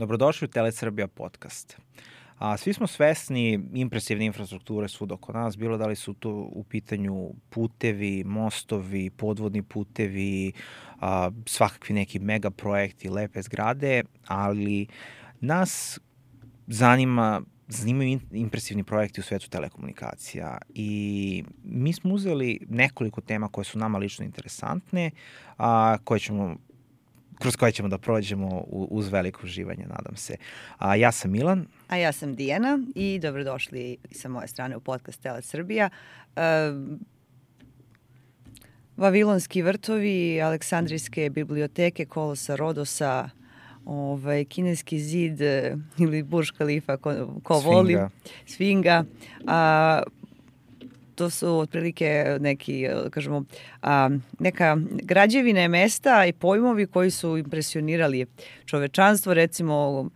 Dobrodošli u Telesrbija podcast. Svi smo svesni impresivne infrastrukture svud oko nas, bilo da li su to u pitanju putevi, mostovi, podvodni putevi, svakakvi neki megaprojekti, lepe zgrade, ali nas zanimaju impresivni projekti u svetu telekomunikacija i mi smo uzeli nekoliko tema koje su nama lično interesantne, kroz koje ćemo da prođemo uz veliko uživanje, nadam se. Ja sam Milan. A ja sam Dijana i dobrodošli sa moje strane u podcast Telesrbija. Vavilonski vrtovi, Aleksandrijske biblioteke, Kolosa Rodosa, kineski zid ili Burj Khalifa, ko voli, Sfinga. To su otprilike neki, kažemo, neka građevine mesta i pojmovi koji su impresionirali čovečanstvo. Recimo,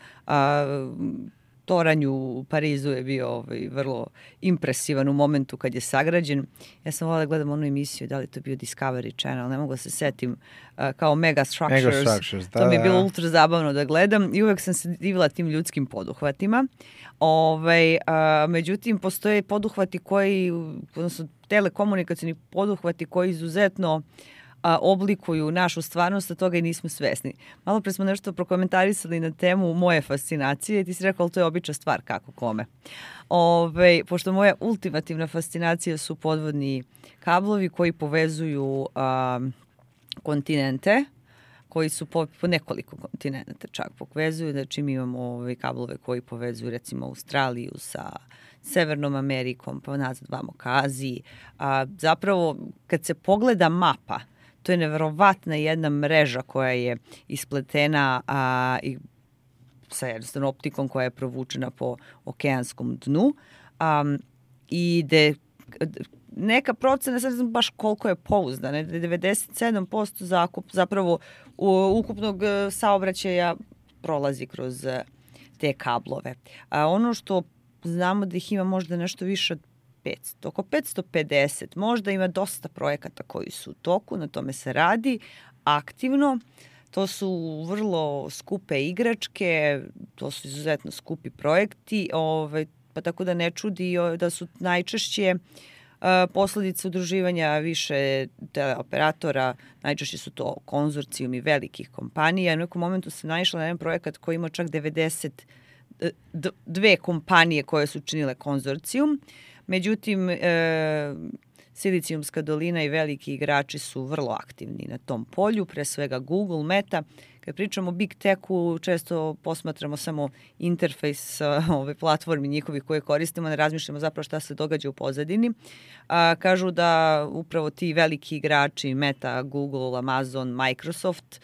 toranj u Parizu je bio vrlo impresivan u momentu kad je sagrađen. Ja sam volila da gledam onu emisiju, da li to bio Discovery Channel, ne mogu da se setim, kao Mega Structures. To mi je bilo ultra zabavno da gledam i uvek sam se divila tim ljudskim poduhvatima. Međutim, postoje poduhvati koji, odnosno telekomunikacijni poduhvati koji izuzetno oblikuju našu stvarnost, a toga i nismo svesni. Malo pre smo nešto prokomentarisali na temu moje fascinacije i ti si rekao, ali to je obična stvar, kako kome. Pošto moja ultimativna fascinacija su podvodni kablovi koji povezuju kontinente, koji su po nekoliko kontinenta čak povezuju. Znači mi imamo kablove koji povezuju recimo Australiju sa Severnom Amerikom, pa nazad vamo ka Aziji. Zapravo, kad se pogleda mapa, to je neverovatna jedna mreža koja je ispletena i sa jednostavno optikom koja je provučena po okeanskom dnu i gde neka procena, sad ne znam baš koliko je pouzdana, 97% zapravo ukupnog saobraćaja prolazi kroz te kablove. Ono što znamo da ih ima možda nešto više od 500, oko 550, možda ima dosta projekata koji su u toku, na tome se radi aktivno. To su vrlo skupe igračke, to su izuzetno skupi projekti, pa tako da ne čudi da su najčešće posledice udruživanja više teleoperatora, najčešće su to konzorcijumi velikih kompanija. U nekom momentu se naišla na jedan projekat koji ima čak 92 kompanije koje su činile konzorcijum. Međutim, Silicijumska dolina i veliki igrači su vrlo aktivni na tom polju, pre svega Google, Meta. Kad pričamo o Big Techu, često posmatramo samo interfejs ove platformi njihovih koje koristimo, ne razmišljamo zapravo šta se događa u pozadini. Kažu da upravo ti veliki igrači, Meta, Google, Amazon, Microsoft,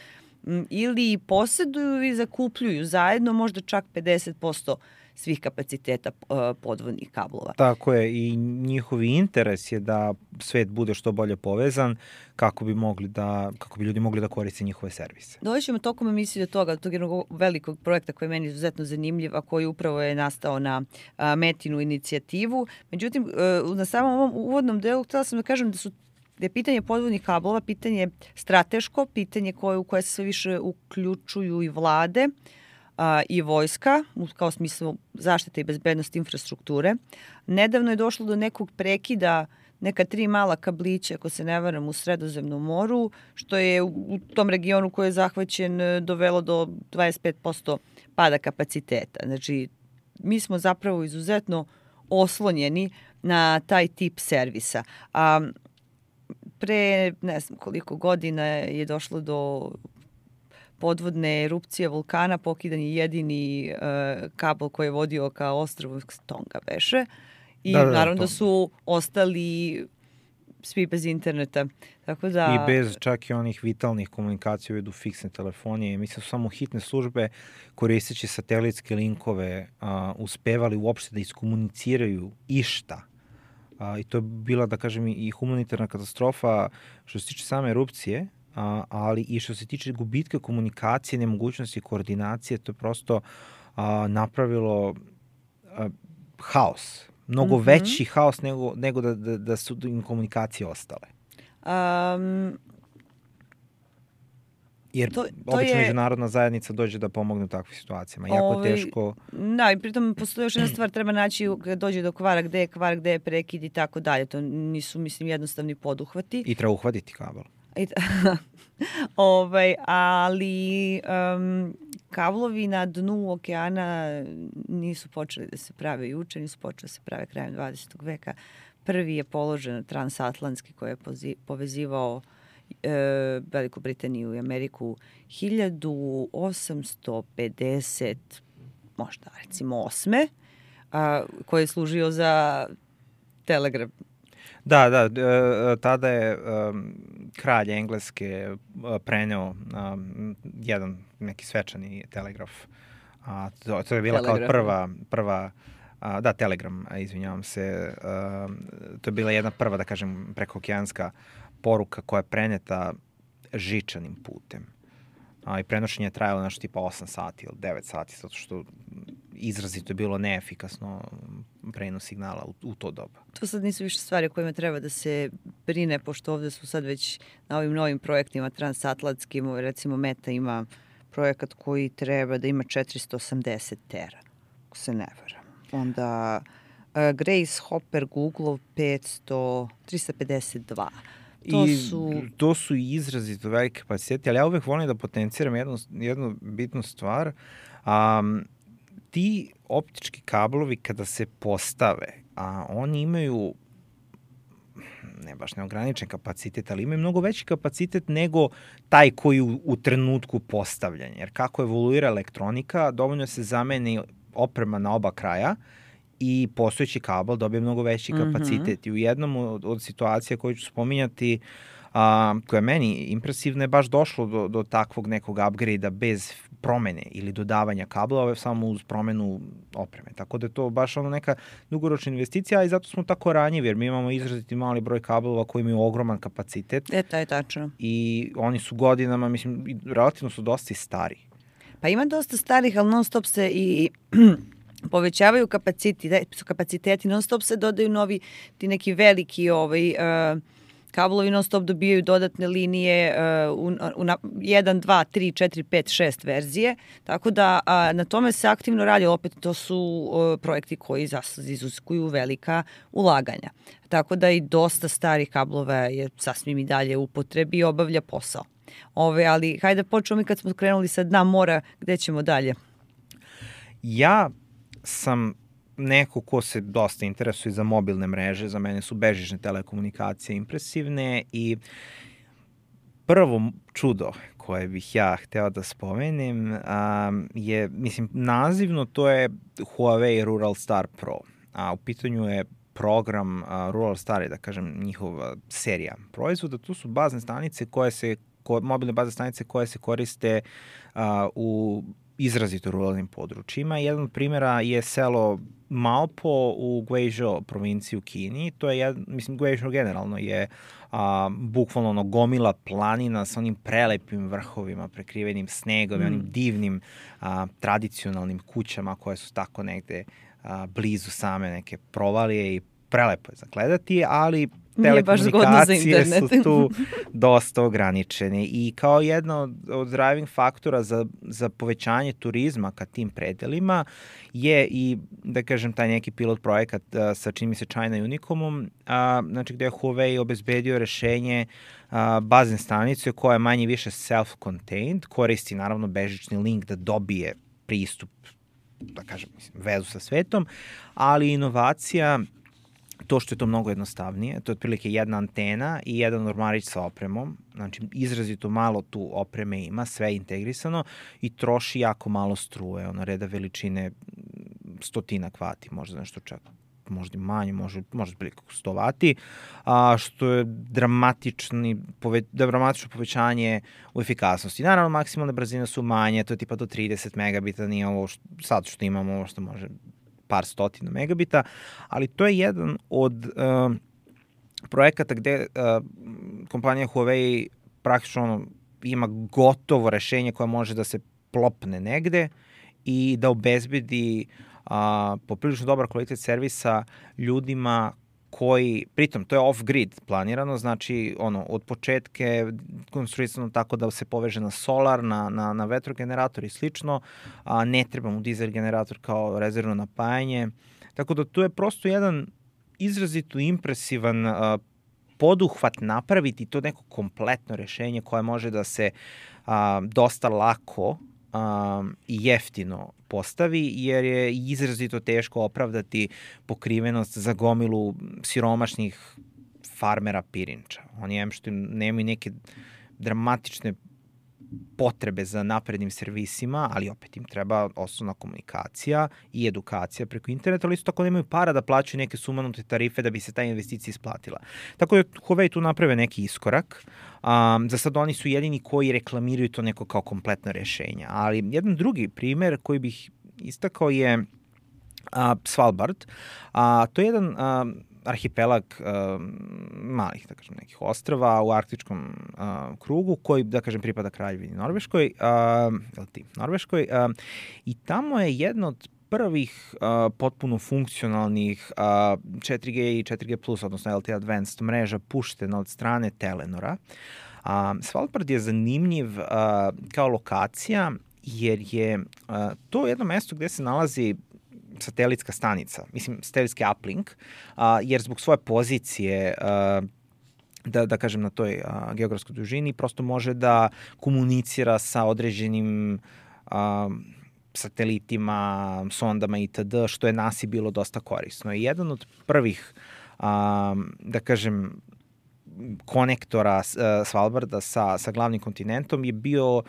ili posjeduju i zakupljuju zajedno možda čak 50% svih kapaciteta podvodnih kablova. Tako je, i njihovi interes je da svet bude što bolje povezan kako bi ljudi mogli da koriste njihove servise. Dođemo tokom emisije do toga, tog jednog velikog projekta koji je meni izuzetno zanimljiv, a koji upravo je nastao na Metinu inicijativu. Međutim, na samom ovom uvodnom delu htjela sam da kažem da je pitanje podvodnih kablova pitanje strateško, pitanje u koje se sve više uključuju i vlade, i vojska, kao smislu zaštite i bezbednosti infrastrukture. Nedavno je došlo do nekog prekida neka 3 mala kablića, ako se ne varam, u Sredozemnom moru, što je u tom regionu koji je zahvaćen dovelo do 25% pada kapaciteta. Znači, mi smo zapravo izuzetno oslonjeni na taj tip servisa. Pre ne znam koliko godina je došlo do podvodne erupcije vulkana, pokidan je jedini kabel koji je vodio ka ostrvu Tonga beše. I naravno da su ostali svi bez interneta. Tako da, i bez čak i onih vitalnih komunikacija u vidu fiksne telefonije. Mislim su samo hitne službe koristeći satelitske linkove uspevali uopšte da iskomuniciraju išta. I to je bila, da kažem, i humanitarna katastrofa što se tiče same erupcije, ali i što se tiče gubitka komunikacije, nemogućnosti koordinacije, to je prosto napravilo haos. Mnogo veći haos nego da su im komunikacije ostale. Jer obično međunarodna zajednica dođe da pomogne u takvim situacijama. Jako teško. Da, i pritom postoji još jedna stvar, treba naći kada dođe do kvara, gde je prekid i tako dalje. To nisu, mislim, jednostavni poduhvati. I treba uhvatiti kabel. Ali kablovi na dnu okeana nisu počeli da se prave juče, nisu počeli da se prave krajem 20. veka. Prvi je položen transatlantski koji je povezivao Veliku Britaniju i Ameriku 1850, možda recimo 8. Koji je služio za telegraf. Da, tada je kralj Engleske preneo jedan neki svečani telegraf. To je bila kao prva telegram, izvinjavam se. To je bila jedna prva, da kažem, prekookeanska poruka koja je preneta žičanim putem. I prenošenje je trajalo nešto tipa 8 sati ili 9 sati, zato što izrazito je bilo neefikasno prenos signala u to doba. To sad nisu više stvari o kojima treba da se brine, pošto ovde su sad već na ovim novim projektima transatlantskim, recimo Meta ima projekat koji treba da ima 480 tera, ako se ne varam. Onda Grace Hopper Google 352. To su izrazito velike kapacitete, ali ja uvek volim da potenciram jednu bitnu stvar. Ti optički kablovi kada se postave, oni imaju ne baš neograničen kapacitet, ali imaju mnogo veći kapacitet nego taj koji u trenutku postavljanja. Jer kako evoluira elektronika, dovoljno se zameni oprema na oba kraja i postojeći kabel dobije mnogo veći kapacitet. I u jednom od situacija koju ću spominjati, koja je meni impresivna, je baš došlo do takvog nekog upgrade-a bez promene ili dodavanja kablova, samo uz promenu opreme. Tako da je to baš neka dugoročna investicija, i zato smo tako ranjivi, jer mi imamo izraziti mali broj kablova koji imaju ogroman kapacitet. To je tačno. I oni su godinama, mislim, relativno su dosta i stari. Pa ima dosta starih, ali non stop se i povećavaju kapaciteti, non stop se dodaju novi, ti neki veliki kablovi, non stop dobijaju dodatne linije u 1, 2, 3, 4, 5, 6 verzije, tako da na tome se aktivno radi, opet to su projekti koji iziskuju velika ulaganja. Tako da i dosta starih kablova je sasvim i dalje u upotrebi i obavlja posao. Ali hajde da počnemo mi kad smo krenuli sa dna mora, gde ćemo dalje? Ja sam neko ko se dosta interesuje za mobilne mreže, za mene su bežične telekomunikacije impresivne, i prvo čudo koje bih ja hteo da spomenem je, mislim, nazivno to je Huawei Rural Star Pro, a u pitanju je program Rural Star, da kažem, njihova serija proizvoda. Tu su bazne stanice mobilne bazne stanice koje se koriste u izrazito ruralnim područjima. Jedan od primjera je selo Maopo u Guizhou provinciji u Kini. To je, mislim, Guizhou generalno je bukvalno gomila planina sa onim prelepim vrhovima, prekrivenim snegom i onim divnim tradicionalnim kućama koje su tako negde blizu same neke provalije, i prelepo je zagledati, ali telekomunikacije su tu dosta ograničene, i kao jedna od driving faktora za povećanje turizma ka tim predelima je i, da kažem, taj neki pilot projekat sa, čini mi se, China Unicomom, znači gde je Huawei obezbedio rešenje bazne stanice koja je manje više self-contained, koristi naravno bežični link da dobije pristup, da kažem, vezu sa svetom, ali inovacija, to što je to mnogo jednostavnije, to je otprilike jedna antena i jedan ormarić sa opremom, znači izrazito malo tu opreme ima, sve je integrisano i troši jako malo struje, reda veličine 100 vati, možda nešto čak, možda manje, možda otprilike 100 vati, što je dramatično povećanje u efikasnosti. Naravno, maksimalne brzine su manje, to je tipa do 30 megabita, nije ovo sad što imamo, ovo što može par stotina megabita, ali to je jedan od projekata gde kompanija Huawei praktično ima gotovo rešenje koje može da se plopne negde i da obezbedi poprilično dobar kvalitet servisa ljudima koji, pritom to je off-grid planirano, znači od početke konstruisano tako da se poveže na solar, na vetrogenerator i slično, a ne treba mu dizel generator kao rezervno napajanje. Tako da tu je prosto jedan izrazito impresivan poduhvat napraviti to neko kompletno rešenje koje može da se dosta lako i jeftino postavi, jer je izrazito teško opravdati pokrivenost za gomilu siromašnih farmera pirinča. Oni što nemaju neke dramatične potrebe za naprednim servisima, ali opet im treba osnovna komunikacija i edukacija preko interneta, ali isto tako nemaju para da plaćaju neke sumanute tarife da bi se ta investicija isplatila. Tako da Huawei tu naprave neki iskorak. Za sad oni su jedini koji reklamiraju to neko kao kompletno rešenje. Ali jedan drugi primer koji bih istakao je Svalbard. To je jedan arhipelag malih, da kažem, nekih ostrava u arktičkom krugu koji, da kažem, pripada Kraljevini Norveškoj, i tamo je jedno od prvih potpuno funkcionalnih 4G i 4G+, odnosno LTE Advanced mreža puštena od strane Telenora. Svalbard je zanimljiv kao lokacija jer je to jedno mesto gde se nalazi satelitska stanica, satelitski uplink, jer zbog svoje pozicije, da kažem, na toj geografskoj dužini, prosto može da komunicira sa određenim satelitima, sondama itd., što je NASA bilo dosta korisno. I jedan od prvih, da kažem, konektora Svalbarda sa glavnim kontinentom je bio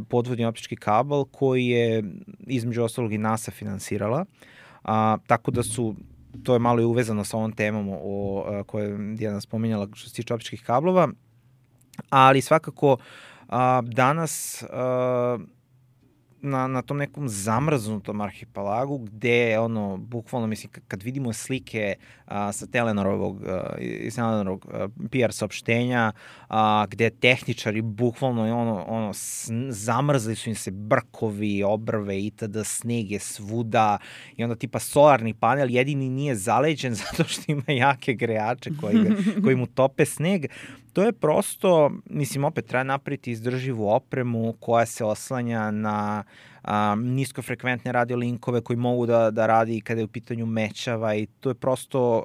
podvodni optički kabel koji je između ostalog i NASA finansirala. Tako da to je malo i uvezano sa ovom temom koju je Dijana spominjala što se tiče optičkih kablova, ali svakako danas na tom nekom zamrznutom arhipelagu gde bukvalno, kad vidimo slike sa Telenorovog PR saopštenja, gde tehničari bukvalno zamrzli su im se brkovi, obrve itd., sneg je svuda i onda tipa solarni panel jedini nije zaleđen zato što ima jake grejače koji mu tope sneg. To je prosto, opet treba napraviti izdrživu opremu koja se oslanja na niskofrekventne radiolinkove koji mogu da radi kada je u pitanju mečava i to je prosto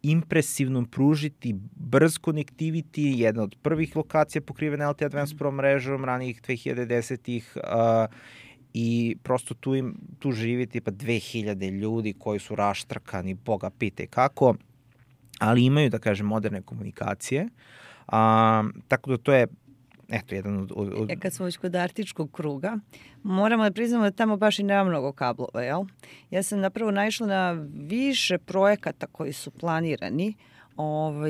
impresivno pružiti brz connectivity, jedna od prvih lokacija pokrivena LTE Advanced Pro mrežom ranijih 2010-ih i prosto tu živi tipa 2000 ljudi koji su raštrkani, boga pite kako, ali imaju, da kažem, moderne komunikacije. Tako da to je jedan od... Kad smo već kod arktičkog kruga, moramo da priznamo da tamo baš i nema mnogo kablova, jel? Ja sam napravo naišla na više projekata koji su planirani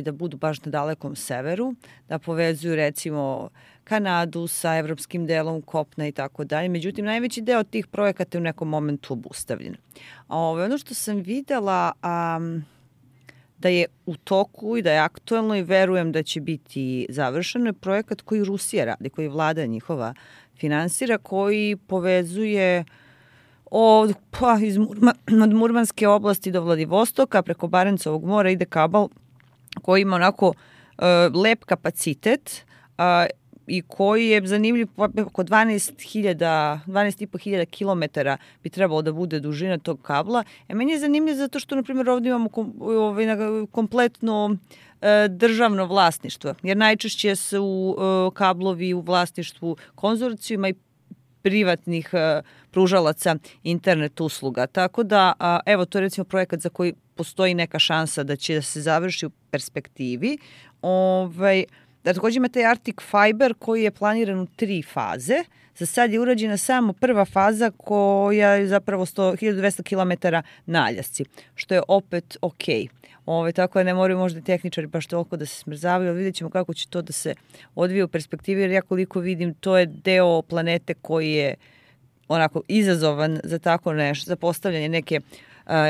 da budu baš na dalekom severu, da povezuju recimo Kanadu sa evropskim delom kopna i tako dalje. Međutim, najveći deo tih projekata je u nekom momentu obustavljen. Ono što sam videla... da je u toku i da je aktuelno i verujem da će biti završeno je projekat koji Rusija radi, koji vlada njihova finansira, koji povezuje od Murmanske oblasti do Vladivostoka preko Barencovog mora ide kabel koji ima onako lep kapacitet i koji je zanimljiv, oko 12.500 kilometara bi trebalo da bude dužina tog kabla. Meni je zanimljiv zato što, na primjer, ovdje imamo kompletno državno vlasništvo, jer najčešće su kablovi u vlasništvu konzorcijuma i privatnih pružalaca internet usluga. Tako da, evo, to je recimo projekat za koji postoji neka šansa da će da se završi u perspektivi. Da, takođe ima taj Arctic Fiber koji je planiran u 3 faze. Za sad je urađena samo prva faza koja je zapravo 1200 km naljasci, što je opet okej. Tako da ne moraju možda tehničari baš toliko da se smrzavaju, ali vidjet ćemo kako će to da se odvije u perspektivi, jer ja koliko vidim to je deo planete koji je onako izazovan za tako nešto, za postavljanje neke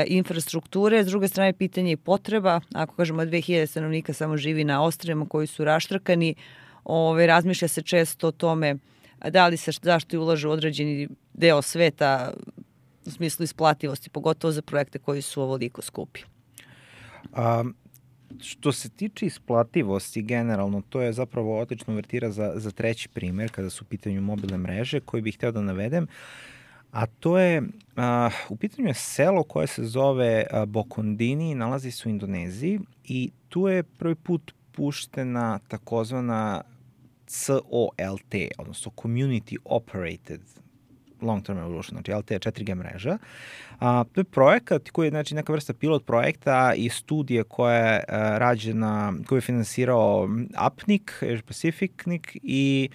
infrastrukture. S druge strane, pitanje je potreba. Ako kažemo 2000 stanovnika samo živi na ostrvima koji su raštrkani, razmišlja se često o tome da li se zašto ulažu određeni deo sveta u smislu isplativosti, pogotovo za projekte koji su ovoliko skupi. Što se tiče isplativosti generalno, to je zapravo odlična uvertira za treći primer kada su u pitanju mobilne mreže koji bih hteo da navedem, a to je, u pitanju je selo koje se zove Bokondini, nalazi se u Indoneziji i tu je prvi put puštena takozvana COLT, odnosno Community Operated Long Term Evolution, znači LTE 4G mreža. To je projekat koji je znači, neka vrsta pilot projekta i studije koja je rađena, koju je finansirao APNIC, Asia Pacific i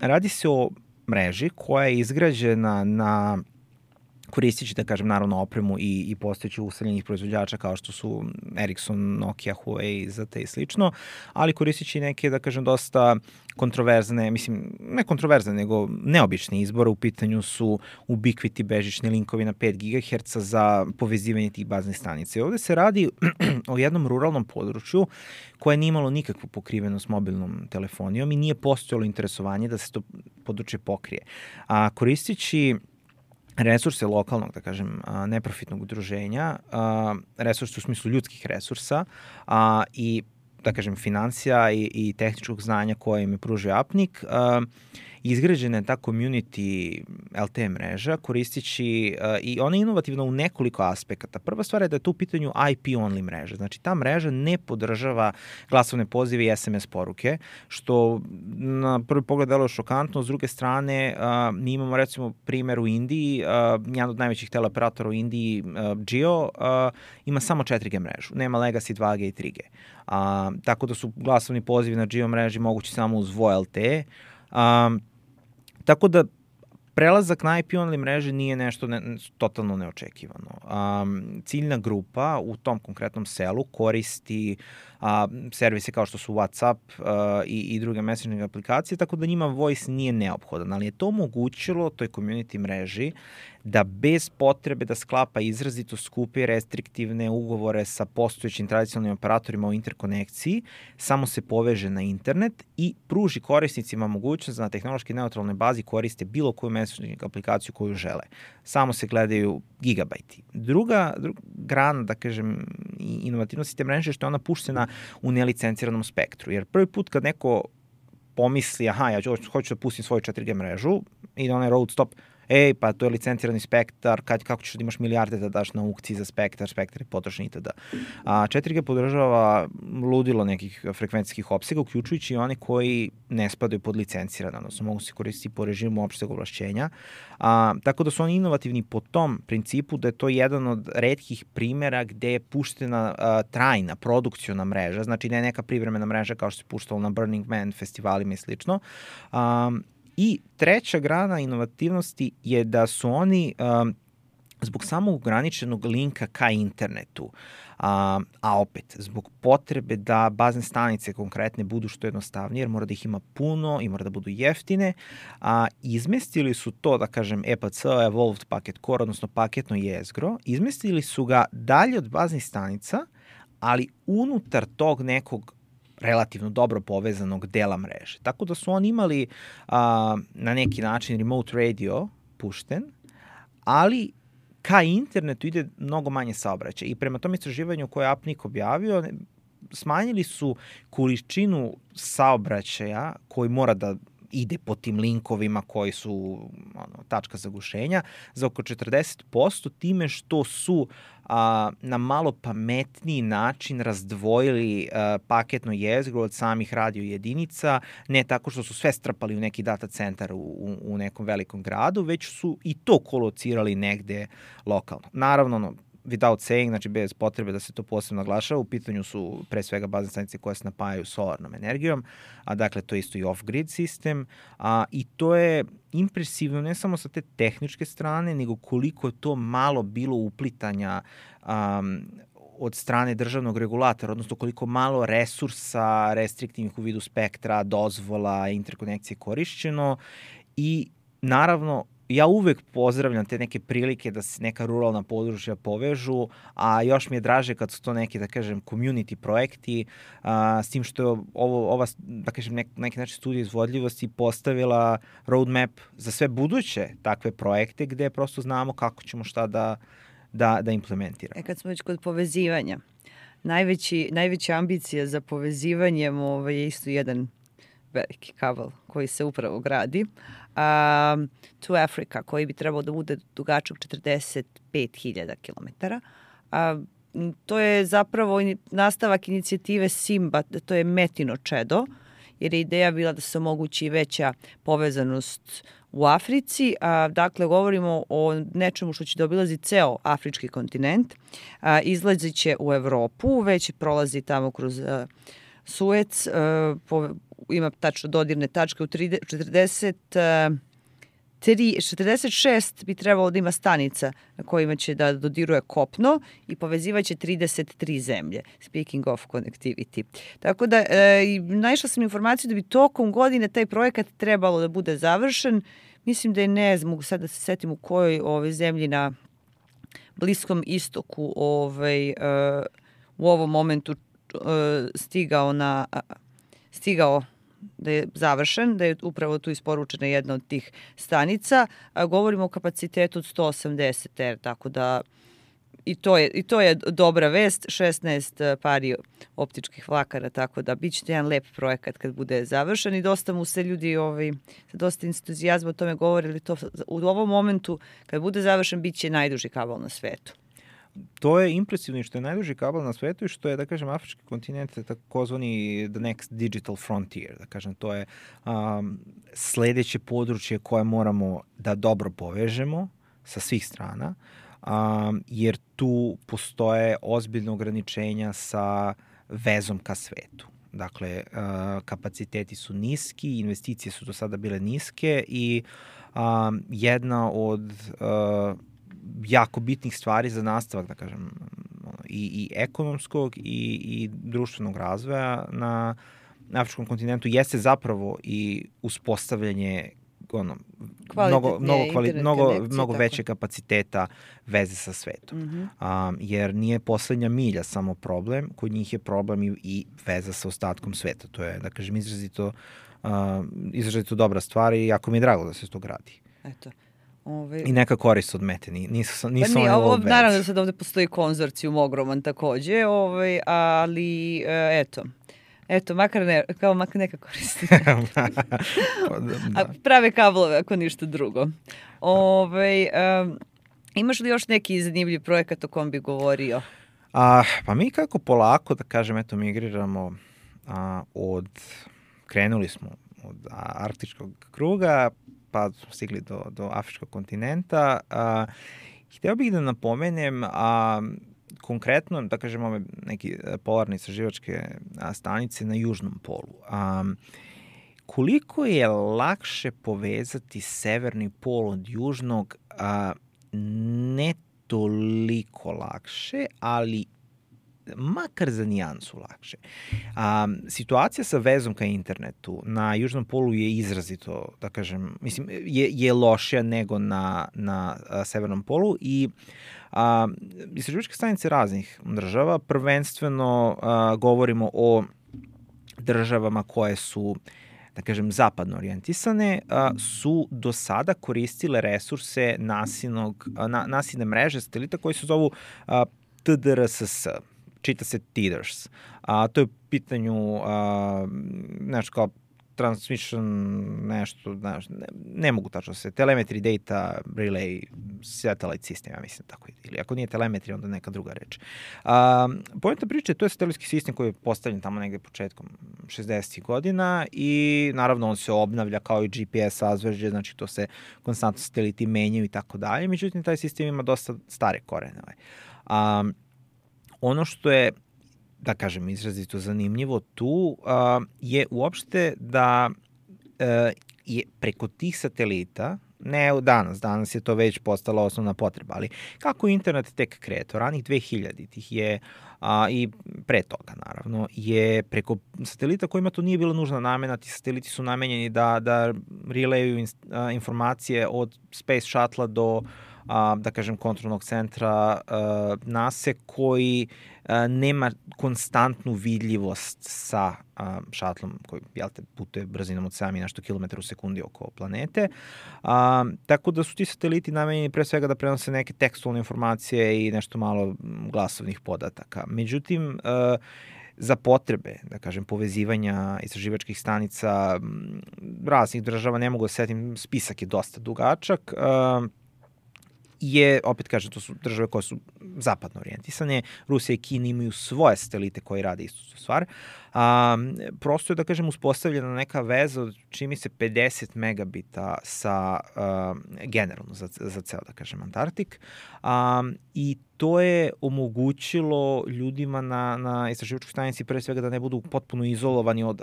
radi se o mreži koja je izgrađena na koristeći, da kažem, naravno opremu i postojeći ustavljenih proizvođača kao što su Ericsson, Nokia, Huawei, ZTE i slično, ali koristeći neke, da kažem, dosta kontroverzne, mislim, ne kontroverzne, nego neobične izbore. U pitanju su Ubiquiti bežični linkovi na 5 GHz za povezivanje tih baznih stanica. I ovde se radi o jednom ruralnom području koje nije imalo nikakvu pokrivenost mobilnom telefonijom i nije postojalo interesovanje da se to područje pokrije. Koristeći resurse lokalnog, da kažem, neprofitnog udruženja, resurse u smislu ljudskih resursa i, da kažem, financija i tehničkog znanja koje im je pružio APNIC, izgrađena je ta community LTE mreža koristeći i ona je inovativna u nekoliko aspekata. Prva stvar je da je to u pitanju IP-only mreža. Znači ta mreža ne podržava glasovne pozive i SMS poruke, što na prvi pogled deluje šokantno. S druge strane, mi imamo recimo primjer u Indiji, jedan od najvećih teleoperatora u Indiji, Jio, ima samo 4G mrežu, nema Legacy 2G i 3G. Tako da su glasovni pozivi na Jio mreži mogući samo uz VoLTE. Tako da prelazak na IP-only mreže nije nešto totalno neočekivano. Ciljna grupa u tom konkretnom selu koristi servise kao što su WhatsApp i druge messaging aplikacije, tako da njima voice nije neophodan, ali je to omogućilo toj community mreži da bez potrebe da sklapa izrazito skupe restriktivne ugovore sa postojećim tradicionalnim operatorima o interkonekciji, samo se poveže na internet i pruži korisnicima mogućnost da na tehnološki neutralnoj bazi koriste bilo koju messaging aplikaciju koju žele. Samo se gledaju gigabajti. Druga grana, da kažem, inovativnosti te mreže je što je ona puštena u nelicenciranom spektru. Jer prvi put kad neko pomisli, ja hoću da pustim svoju 4G mrežu i da onaj road stop, pa to je licencirani spektar, kako ćeš da imaš milijarde da daš na aukciji za spektar je potrošen itd. 4G podržava ludilo nekih frekvencijskih opsega, uključujući i one koji ne spadaju pod licencirane, odnosno mogu se koristiti po režimu opšteg ovlašćenja. Tako da su oni inovativni po tom principu da je to jedan od retkih primera gde je puštena trajna, produkciona mreža, znači ne neka privremena mreža kao što se puštalo na Burning Man festivalima i slično. I treća grana inovativnosti je da su oni zbog samog ograničenog linka ka internetu, a opet zbog potrebe da bazne stanice konkretne budu što jednostavnije, jer mora da ih ima puno i mora da budu jeftine, izmestili su to, da kažem, EPC, Evolved Packet Core, odnosno paketno jezgro, izmestili su ga dalje od baznih stanica, ali unutar tog nekog relativno dobro povezanog dela mreže. Tako da su oni imali na neki način remote radio pušten, ali ka internetu ide mnogo manje saobraćaja. I prema tom istraživanju koje je APNIC objavio, smanjili su količinu saobraćaja koji mora da ide po tim linkovima koji su tačka zagušenja za oko 40% time što su na malo pametniji način razdvojili paketno jezgro od samih radio jedinica, ne tako što su sve strpali u neki data centar u nekom velikom gradu, već su i to kolocirali negde lokalno. Naravno, without saying, znači bez potrebe da se to posebno naglašava, u pitanju su pre svega bazne stanice koje se napajaju solarnom energijom, dakle to je isto i off-grid sistem, i to je impresivno ne samo sa te tehničke strane, nego koliko je to malo bilo uplitanja od strane državnog regulatora, odnosno koliko malo resursa restriktivnih u vidu spektra, dozvola, interkonekcije korišćeno i naravno ja uvek pozdravljam te neke prilike da se neka ruralna područja povežu, a još mi je draže kad su to neki, da kažem, community projekti, s tim što je ova, da kažem, neki način studija izvodljivosti postavila roadmap za sve buduće takve projekte gde prosto znamo kako ćemo šta da da implementira. Kad smo već kod povezivanja, najveća ambicija za povezivanjem je isto jedan veliki kabel koji se upravo gradi. To Africa, koji bi trebao da bude dugačak 45.000 km. To je zapravo nastavak inicijative Simba, to je Metino čedo, jer je ideja bila da se omogući veća povezanost u Africi. Dakle, govorimo o nečemu što će da obilazi ceo afrički kontinent. Izlazit će u Evropu, već prolazi tamo kroz Suec, ima tačno dodirne tačke u 46 bi trebalo da ima stanica na kojima će da dodiruje kopno i povezivaće 33 zemlje. Speaking of connectivity. Tako da, naišla sam informaciju da bi tokom godine taj projekat trebalo da bude završen. Mislim da je, ne mogu sad da se setim u kojoj zemlji na Bliskom istoku u ovom momentu stigao da je završen, da je upravo tu isporučena jedna od tih stanica. Govorimo o kapacitetu od 180 tako da i to je dobra vest, 16 pari optičkih vlakara, tako da bit će jedan lep projekat kad bude završen i dosta mu se ljudi sa dosta entuzijazma o tome govorili. To u ovom momentu kad bude završen bit će najduži kabel na svetu. To je impresivno što je najduži kabel na svetu i što je, da kažem, afrički kontinent takozvani the next digital frontier. Da kažem, to je sledeće područje koje moramo da dobro povežemo sa svih strana, jer tu postoje ozbiljne ograničenja sa vezom ka svetu. Dakle, kapaciteti su niski, investicije su do sada bile niske i jedna od jako bitnih stvari za nastavak, da kažem, i ekonomskog i društvenog razvoja na afričkom kontinentu jeste zapravo i uspostavljanje mnogo veće kapaciteta veze sa svetom. Jer nije poslednja milja samo problem, kod njih je problem i veza sa ostatkom sveta. To je, da kažem, izrazito dobra stvar i jako mi je drago da se to gradi. Eto. I neka korist od Mete, nisu naravno da sad ovde postoji konzorcijum ogroman takođe, ali eto, makar neka koristi. A prave kablove, ako ništa drugo. Imaš li još neki zanimljiv projekat o kom bi govorio? Pa mi kako polako, da kažem, migriramo krenuli smo od arktičkog kruga, pa smo stigli do afričkog kontinenta. Hteo bih da napomenem, konkretno, da kažem, ove neke polarne istraživačke stanice na južnom polu. Koliko je lakše povezati severni pol od južnog, ne toliko lakše, ali makar za nijansu lakše. Situacija sa vezom ka internetu na južnom polu je izrazito, da kažem, mislim, je lošija nego na severnom polu i istraživačke stanice raznih država, prvenstveno govorimo o državama koje su, da kažem, zapadno orijentisane, su do sada koristile resurse nasilne mreže satelita koji se zovu TDRSS, čita se TDRS. To je u pitanju nešto kao transmission, nešto, ne mogu tačno se, telemetry data relay satellite system, ja mislim tako, ili ako nije telemetri, onda neka druga reč. Poenta priče, to je satelitski sistem koji je postavljen tamo negde početkom 60. godina i naravno on se obnavlja kao i GPS sazvežđe, znači to se konstantno sateliti menjaju i tako dalje, međutim taj sistem ima dosta stare korene. Ono što je, da kažem, izrazito zanimljivo tu je uopšte da je preko tih satelita, ne danas je to već postala osnovna potreba, ali kako internet tek kreto, ranih 2000-ih je, i pre toga naravno, je preko satelita kojima to nije bila nužna namena, ti sateliti su namenjeni da rileju informacije od Space Shuttle-a da kažem, kontrolnog centra NASA koji nema konstantnu vidljivost sa šatlom koji, putuje brzinom od 7 i nešto kilometara u sekundi oko planete. Tako da su ti sateliti namenjeni pre svega da prenose neke tekstualne informacije i nešto malo glasovnih podataka. Međutim, za potrebe, da kažem, povezivanja istraživačkih stanica raznih država, ne mogu da setim, spisak je dosta dugačak, opet kažem, to su države koje su zapadno orijentisane. Rusija i Kina imaju svoje satelite koji rade istu stvar. Prosto je, da kažem, uspostavljena neka veza od čini se 50 megabita sa generalno za ceo, da kažem, Antarktik. I to je omogućilo ljudima na istraživačkoj stanici pre svega da ne budu potpuno izolovani od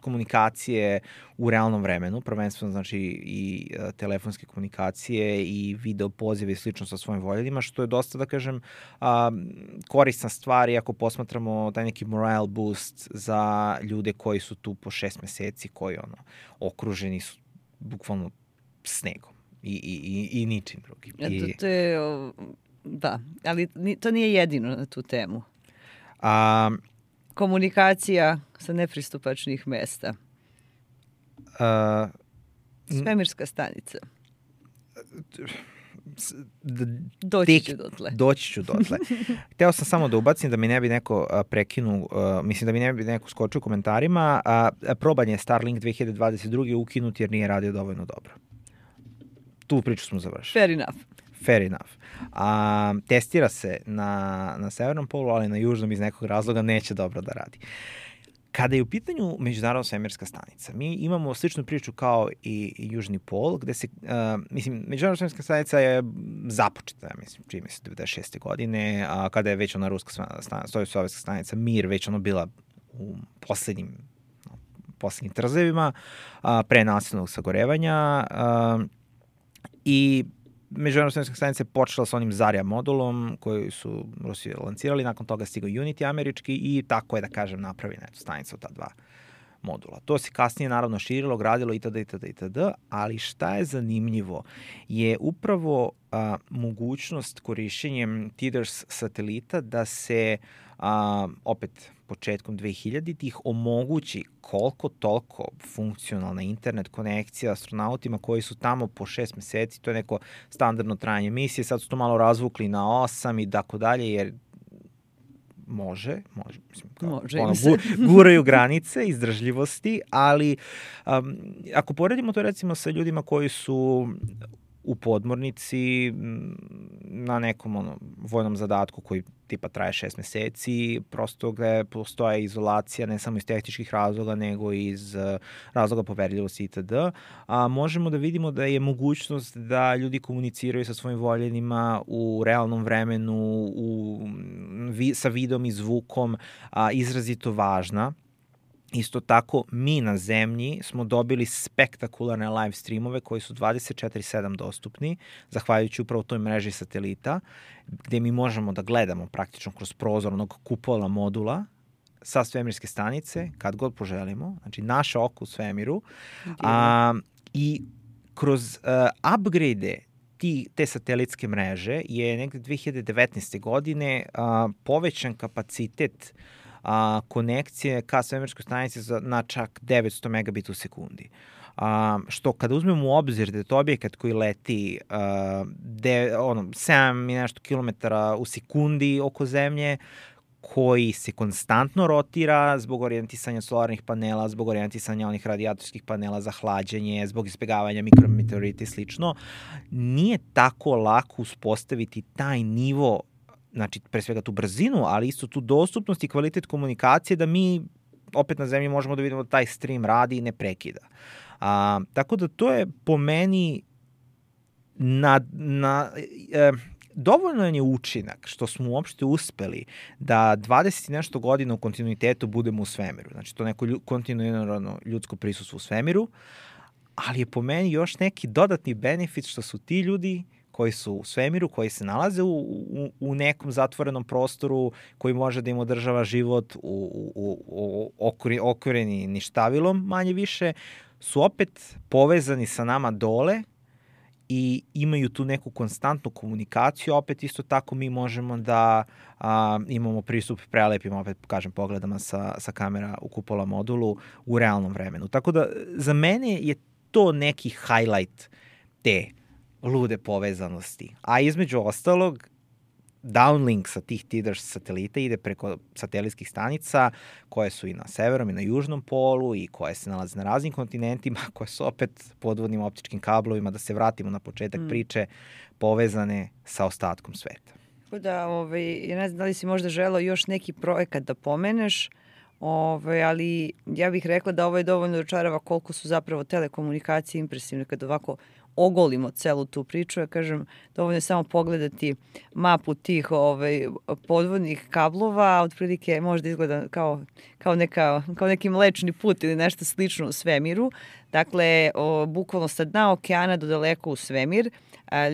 komunikacije u realnom vremenu, prvenstveno znači i telefonske komunikacije i video pozive i slično sa svojim voljevima, što je dosta, da kažem, korisna stvar, ako posmatramo taj neki morale boost za ljude koji su tu po 6 meseci, koji okruženi su bukvalno snegom i ničim drugim. To je, da, ali to nije jedino na tu temu. Komunikacija sa nepristupačnih mesta. Svemirska stanica. Doći ću dotle. Hteo sam samo da ubacim da mi ne bi neko prekinuo, mislim da mi ne bi neko skočio u komentarima. Proban je Starlink 2022. ukinut jer nije radio dovoljno dobro. Tu priču smo završili. Fair enough. Testira se na severnom polu, ali na južnom iz nekog razloga neće dobro da radi. Kada je u pitanju međunarodna svemirska stanica, mi imamo sličnu priču kao i Južni pol, gde se, međunarodna svemirska stanica je započeta, čini se 96. godine, kada je već ona ruska sovjetska stanica Mir već bila u poslednjim trzevima, pre nasilnog sagorevanja, i međunarodna svemirska stanica je počela sa onim Zarja modulom koji su Rusi lancirali, nakon toga stigao Unity američki i tako je, da kažem, napravljena stanica od ta dva modula. To se kasnije naravno širilo, gradilo itd., ali šta je zanimljivo je upravo mogućnost korišćenjem TDRS satelita da se opet početkom 2000-ih omogući koliko toliko funkcionalna internet konekcija astronautima koji su tamo po 6 meseci, to je neko standardno trajanje misije, sad su to malo razvukli na 8 i tako dalje, jer može, guraju granice izdržljivosti, ali ako poredimo to recimo sa ljudima koji su u podmornici na nekom vojnom zadatku koji tipa traje 6 meseci, prosto gde postoje izolacija ne samo iz tehničkih razloga, nego i iz razloga poverljivosti itd. Možemo da vidimo da je mogućnost da ljudi komuniciraju sa svojim voljenima u realnom vremenu, sa videom i zvukom, izrazito važna. Isto tako, mi na zemlji smo dobili spektakularne live streamove koji su 24/7 dostupni, zahvaljujući upravo toj mreži satelita, gde mi možemo da gledamo praktično kroz prozor onog kupola modula sa svemirske stanice, kad god poželimo, znači naše oko u svemiru, i kroz upgrade te satelitske mreže je negde 2019. godine povećan kapacitet konekcije ka svemirskoj stanici na čak 900 megabita u sekundi. Što kada uzmemo u obzir da je to objekat koji leti 7 i nešto kilometara u sekundi oko zemlje, koji se konstantno rotira zbog orijentisanja solarnih panela, zbog orijentisanja onih radijatorskih panela za hlađenje, zbog izbjegavanja mikrometeorita i slično, nije tako lako uspostaviti taj nivo, znači pre svega tu brzinu, ali isto tu dostupnost i kvalitet komunikacije da mi opet na zemlji možemo da vidimo da taj stream radi i ne prekida. Tako da to je po meni dovoljno je učinak što smo uopšte uspeli da 20 i nešto godina u kontinuitetu budemo u svemiru. Znači to neko kontinuirano ljudsko prisustvo u svemiru, ali je po meni još neki dodatni benefit što su ti ljudi koji su u svemiru, koji se nalaze u nekom zatvorenom prostoru koji može da im održava život okvireni ništavilom, manje više, su opet povezani sa nama dole i imaju tu neku konstantnu komunikaciju, opet isto tako mi možemo da imamo pristup prelepim, opet kažem, pogledama sa kamera u kupola modulu u realnom vremenu. Tako da za mene je to neki highlight te lude povezanosti. A između ostalog, downlink sa tih TDRS satelita ide preko satelitskih stanica koje su i na severnom i na južnom polu i koje se nalaze na raznim kontinentima, koje su opet podvodnim optičkim kablovima, da se vratimo na početak priče, povezane sa ostatkom sveta. Tako da, ja ne znam da li si možda želeo još neki projekat da pomeneš, ali ja bih rekla da ovo je dovoljno dočarava koliko su zapravo telekomunikacije impresivne kad ovako ogolimo celu tu priču. Ja kažem, dovoljno je samo pogledati mapu tih podvodnih kablova, otprilike možda izgleda kao neki mlečni put ili nešto slično u svemiru. Dakle, bukvalno sa dna okeana do daleko u svemir.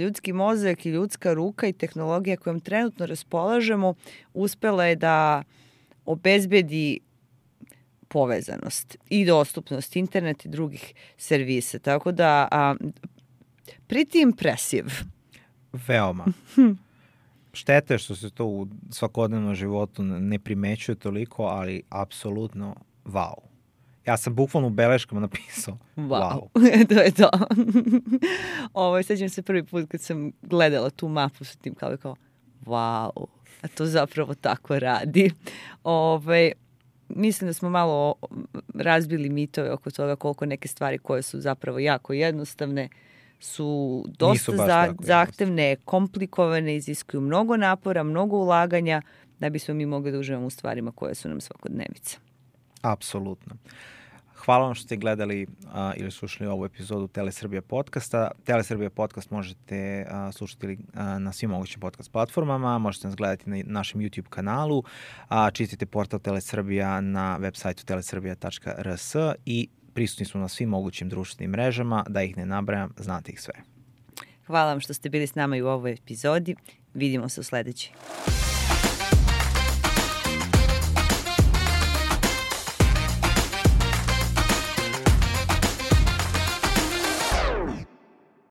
Ljudski mozak i ljudska ruka i tehnologija kojom trenutno raspolažemo uspela je da obezbedi povezanost i dostupnost interneta i drugih servisa. Tako da pretty impressive. Veoma. Šteta je što se to u svakodnevnom životu ne primećuje toliko, ali apsolutno wow. Ja sam bukvalno u beleškama napisao wow. To je to. Sećam se prvi put kad sam gledala tu mapu sa tim kao wow, a to zapravo tako radi. Mislim da smo malo razbili mitove oko toga koliko neke stvari koje su zapravo jako jednostavne su dosta zahtevne, komplikovane, iziskuju mnogo napora, mnogo ulaganja da bismo mi mogli da uživamo u stvarima koje su nam svakodnevica. Apsolutno. Hvala vam što ste gledali ili slušali ovu epizodu Telesrbija podcasta. Telesrbija podcast možete slušati na svim mogućim podcast platformama, možete nas gledati na našem YouTube kanalu, čitite portal Telesrbija na web sajtu telesrbija.rs i prisutni smo na svim mogućim društvenim mrežama, da ih ne nabrajam, znate ih sve. Hvala vam što ste bili s nama i u ovoj epizodi. Vidimo se u sledećoj.